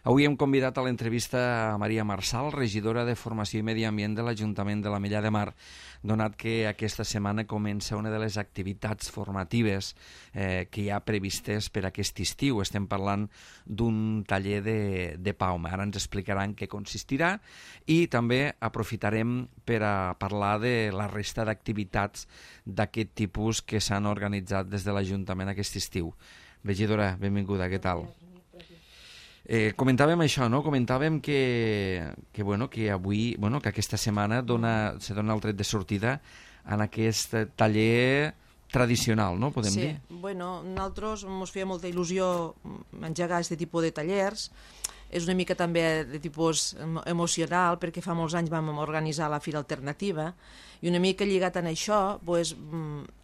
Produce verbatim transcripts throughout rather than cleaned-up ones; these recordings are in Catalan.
Avui hem convidat a l'entrevista a Maria Marçal, regidora de Formació i Medi Ambient de l'Ajuntament de l'Ametlla de Mar, donat que aquesta setmana comença una de les activitats formatives eh, que hi ha previstes per aquest estiu. Estem parlant d'un taller de, de Pauma. Ara ens explicaran què consistirà i també aprofitarem per a parlar de la resta d'activitats d'aquest tipus que s'han organitzat des de l'Ajuntament aquest estiu. Regidora, benvinguda, què tal? Eh, comentàvem això, no? Comentàvem que, que, bueno, que avui, bueno, que aquesta setmana dona, se dona el tret de sortida en aquest taller tradicional, no? Podem sí. dir? Sí, bueno, nosaltres ens feia molta il·lusió engegar aquest tipus de tallers. És una mica també de tipus emocional, perquè fa molts anys vam organitzar la Fira Alternativa, i una mica lligat en això, pues,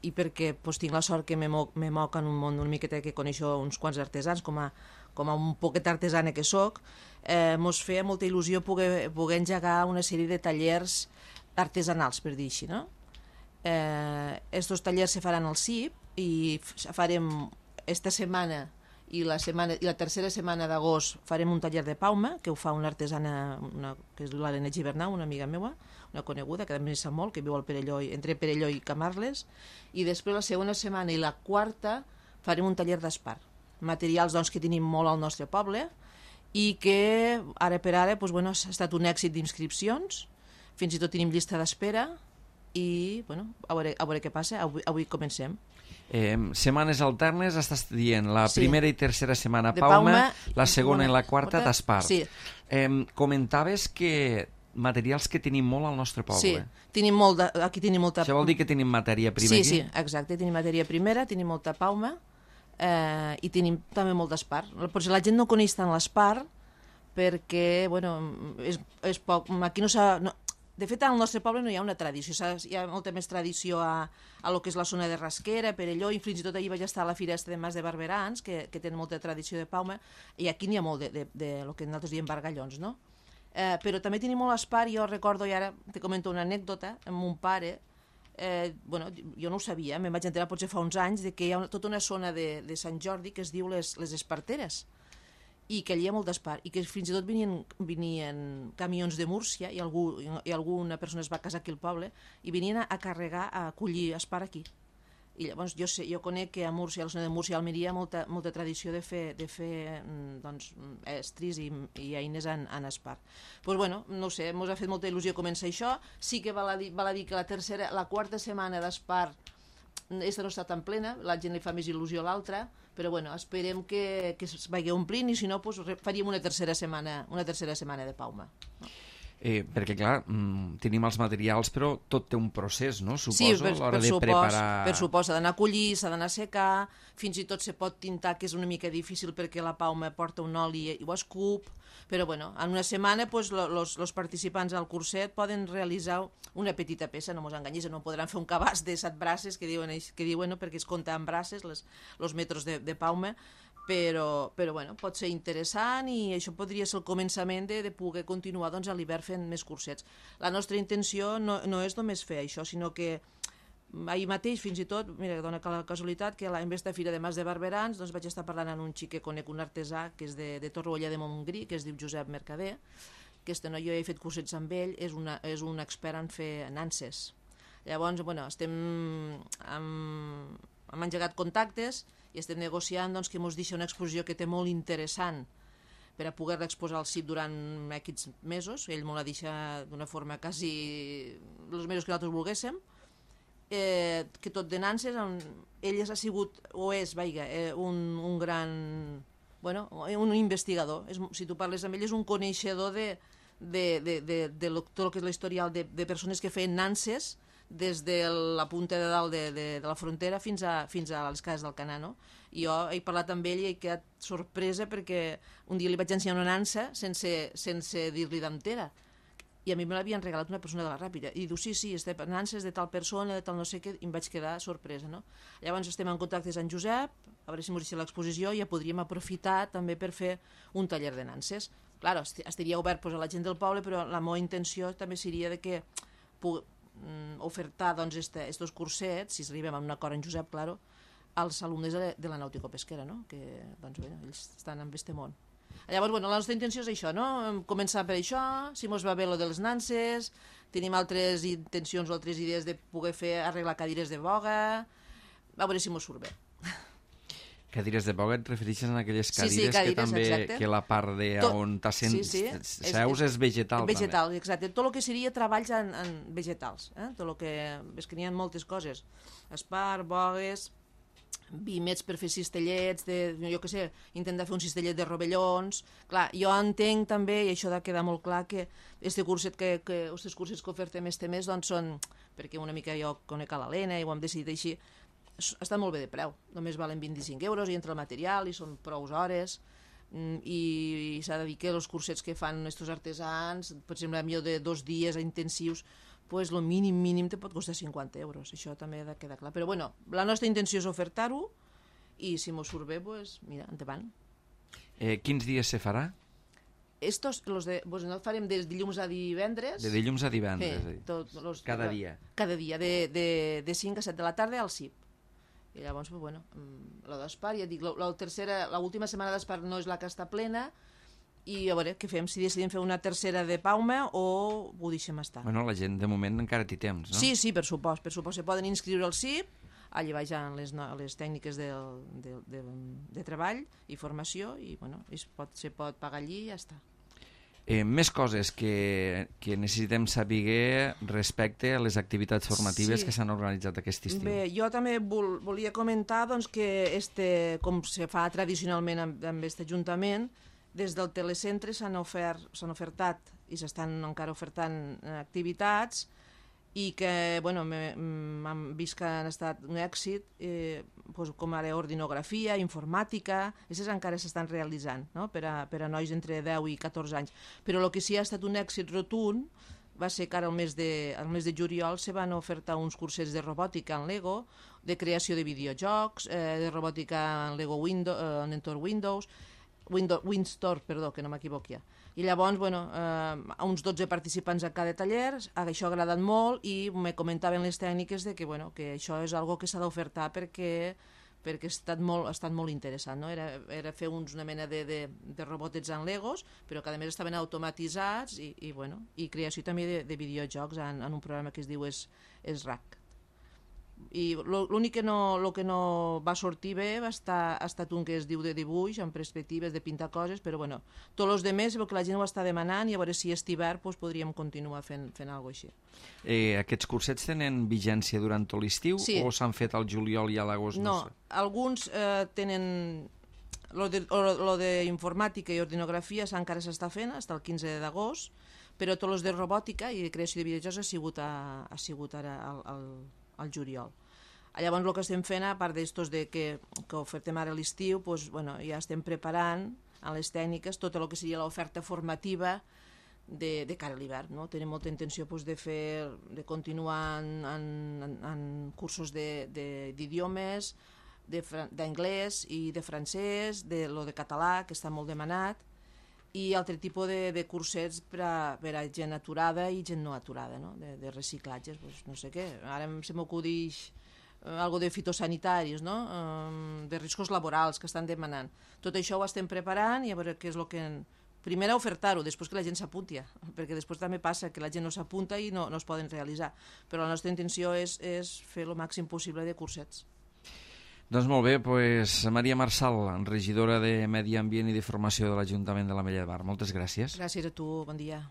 i perquè pues, tinc la sort que me moc, me moc en un món una miqueta que coneixo uns quants artesans, com a, com a un poquet artesana que soc, eh, mos feia molta il·lusió poder, poder engegar una sèrie de tallers artesanals, per dir així, no? Eh, estos tallers se faran al C I P i farem esta setmana i la, setmana, i la tercera setmana d'agost farem un taller de Pauma, que ho fa una artesana, una, que és l'Helena Gibernau, una amiga meva, una coneguda, que també sap molt, que viu al Perelló, entre Perelló i Camarles, i després la segona setmana i la quarta farem un taller d'espar. Materials doncs, que tenim molt al nostre poble i que ara per ara doncs, bueno, ha estat un èxit d'inscripcions, fins i tot tenim llista d'espera i bueno, a, veure, a veure què passa, avui, avui comencem. Eh, setmanes alternes, estàs dient la sí. primera i tercera setmana de Pauma, Pauma la segona i la quarta d'espar. Sí. Eh, comentaves que materials que tenim molt al nostre poble. Sí, tenim molt de, aquí tenim molta... Això vol dir que tenim matèria primera? Sí, sí, exacte, tenim matèria primera, tenim molta Pauma eh, i tenim també molt d'espar. Potser la gent no coneix tant l'espar perquè, bueno, és, és poc... Aquí no s'ha... No, de fet, al nostre poble no hi ha una tradició, hi ha molta més tradició a, a lo que és la zona de Rasquera, Perelló, i fins i tot allí vaig estar a la Fira de Mas de Barberans, que, que tenen molta tradició de Pauma, i aquí n'hi ha molt de, de, de, de lo que nosaltres diem bargallons, no? Eh, però també tenim molt espar, jo recordo, i ara te comento una anècdota, amb mon pare, eh, bueno, jo no ho sabia, me'n vaig enterar potser fa uns anys, de que hi ha una, tota una zona de, de Sant Jordi que es diu les, les Esparteres, i que allà hi ha molt d'espar, i que fins i tot venien, venien camions de Múrcia, i, algú, i alguna persona es va casar aquí al poble, i venien a, a carregar, a collir espar aquí. I llavors jo, sé, jo conec que a Múrcia, a la zona de Múrcia, a Almeria, hi ha molta, molta tradició de fer, de fer doncs, estris i, i eines en, en espar. Doncs pues bueno, no sé, ens ha fet molta il·lusió començar això. Sí que val a dir, val a dir que la tercera, la quarta setmana d'espar aquesta no està tan plena, la gent li fa més il·lusió a l'altra, però bueno, esperem que, que es vagi omplint i si no, pues, faríem una tercera setmana, una tercera setmana de Pauma. No? Eh, perquè clar, mm, tenim els materials, però tot té un procés, no? Suposo, sí, per, a l'hora per de supos, preparar... per supos, s'ha d'anar a collir, s'ha d'anar a secar, fins i tot se pot tintar, que és una mica difícil perquè la Pauma porta un oli i ho escup, però bueno, en una setmana pues, los, los participants al curset poden realitzar una petita peça, no mos enganyis, no podran fer un cabàs de set braces, que diuen, que diuen no, perquè es compta en braces, les, los metres de, de Pauma, però, però bueno, pot ser interessant i això podria ser el començament de, de poder continuar doncs, a l'hivern fent més cursets. La nostra intenció no, no és només fer això, sinó que ahir mateix, fins i tot, mira, dona la casualitat que en aquesta Fira de Mas de Barberans doncs vaig estar parlant amb un xic que conec, un artesà que és de, de Torroella de Montgrí, que es diu Josep Mercader, que este noi jo he fet cursets amb ell, és, una, és un expert en fer nanses. Llavors, bueno, estem amb, hem engegat contactes i estem negociant doncs, que ens deixa una exposició que té molt interessant per a poder-la exposar al C I P durant aquests mesos. Ell m'ho la deixa d'una forma quasi els mesos que nosaltres volguéssim, eh, que tot de nanses, on ell ha sigut, o és, vaiga, eh, un, un gran, bueno, un investigador. És, si tu parles amb ell, és un coneixedor de, de, de, de, de lo, tot el que és l'historial de, de persones que feien nanses des de la punta de dalt de, de, de la frontera fins a, fins a les cases del Canà, no? I jo he parlat amb ell i he quedat sorpresa perquè un dia li vaig ensenyar una nansa sense, sense dir-li d'entera. I a mi me l'havien regalat una persona de la Ràpida. I diu, sí, sí, este nansa és de tal persona, de tal no sé què, i em vaig quedar sorpresa, no? Llavors estem en contactes amb Josep, a veure si m'ho deixa l'exposició, i ja podríem aprofitar també per fer un taller de nanses. Clar, estaria obert pues, a la gent del poble, però la meva intenció també seria de que pugui ofertar doncs, este, estos cursets, si arribem a un acord amb Josep, claro, als alumnes de, de la nàutico-pesquera, no? Que doncs, bé, ells estan en este món. Llavors, bueno, la nostra intenció és això, no? Començar per això, si mos va bé lo de les nanses, tenim altres intencions o altres idees de poder fer arreglar cadires de boga, a veure si mos surt bé. Cadires de boga et refereixes a aquelles cadires, sí, sí, cadires que també exacte. que la part de Tot, on t'assent sí, sí, seus és, és vegetal. Vegetal, també. exacte. Tot el que seria treballs en, en vegetals. Eh? Tot el que... És que n'hi ha moltes coses. Espar, bogues, vimets per fer cistellets, de, jo què sé, intentar fer un cistellet de rovellons. Clar, jo entenc també, i això ha de quedar molt clar, que este curset que, que, estos cursets que ofertem este mes doncs són, perquè una mica jo conec a l'Helena i ho hem decidit així, estan molt bé de preu, només valen vint-i-cinc euros i entra el material i són prou hores i, i s'ha de dir que els cursets que fan estos artesans, per exemple, millor de dos dies intensius, pues el mínim mínim te pot costar cinquanta euros, això també ha de quedar clar, però bueno, la nostra intenció és ofertar-ho i si m'ho surt bé, pues mira, endavant. Eh, quins dies se farà? Estos, los de, pues no farem des dilluns a divendres. De dilluns a divendres. Sí, tot, los, cada dia. Cada dia, de, de, de cinc a set de la tarda al C I P. I llavors, pues, bueno, la d'Espar, ja dic, la, la tercera, l'última setmana d'Espar no és la que està plena, i a veure què fem, si decidim fer una tercera de Paume o ho deixem estar. Bueno, la gent de moment encara té temps, no? Sí, sí, per supost, per supost. Se poden inscriure al C I P, allà baix hi ha les, les tècniques de, de, de, de treball i formació, i bueno, es pot, se pot pagar allí i ja està. Eh, més coses que, que necessitem saber respecte a les activitats formatives sí. que s'han organitzat aquest estiu. Bé, jo també vol, volia comentar doncs, que este, com se fa tradicionalment amb, amb aquest ajuntament, des del telecentre s'han ofert, s'han ofertat i s'estan encara ofertant activitats i que, bueno, m'han vist que han estat un èxit, eh, doncs, com ara ordinografia, informàtica, aquestes encara s'estan realitzant, no? per, a, per a nois entre deu i catorze anys. Però el que sí ha estat un èxit rotund va ser que ara al mes de, al mes de juliol se van ofertar uns cursets de robòtica en Lego, de creació de videojocs, eh, de robòtica en Lego Windows, eh, en entorn Windows, Windows, WinStore, perdó, que no m'equivoqui. I llavors, bueno, eh, uns dotze participants a cada taller, això ha agradat molt i me comentaven les tècniques de que, bueno, que això és algo que s'ha d'ofertar perquè, perquè ha estat molt, ha estat molt interessant, no? Era, era fer uns, una mena de, de, de robotets en Legos, però que a més estaven automatitzats i, i, bueno, i creació també de, de videojocs en, en un programa que es diu es, es RAC. I l'únic que no, lo que no va sortir bé va estar, ha estat un que es diu de dibuix, amb perspectives de pintar coses, però bueno, tots els demés, que la gent ho està demanant i a veure si és hivern doncs podríem continuar fent, fent alguna cosa així. Eh, aquests cursets tenen vigència durant tot l'estiu sí. o s'han fet al juliol i a l'agost? No, no sé. Alguns eh, tenen... Lo de, lo de informàtica i ordinografia encara s'està fent, fins el quinze d'agost, però tots els de robòtica i de creació de videojocs ha sigut, a, ha sigut ara al, al al juliol. Llavors el que estem fent, a part d'estos de que, que ofertem ara a l'estiu, doncs, bueno, ja estem preparant a les tècniques tot el que seria l'oferta formativa de, de cara a l'hivern. No? Tenim molta intenció doncs, de fer, de continuar en, en, en cursos d'idiomes, d'anglès i de francès, de lo de català, que està molt demanat, i altre tipus de, de cursets per a, per a gent aturada i gent no aturada, no? De, de reciclatges, pues, no sé què. Ara se m'acudix eh, algo de fitosanitaris, no? Um, de riscos laborals que estan demanant. Tot això ho estem preparant i a veure què és el que... Primer ofertar-ho, després que la gent s'apunti, perquè després també passa que la gent no s'apunta i no, no es poden realitzar. Però la nostra intenció és, és fer el màxim possible de cursets. Doncs molt bé, pues, Maria Marsal, regidora de Medi Ambient i de Formació de l'Ajuntament de l'Ametlla de Mar. Moltes gràcies. Gràcies a tu, bon dia.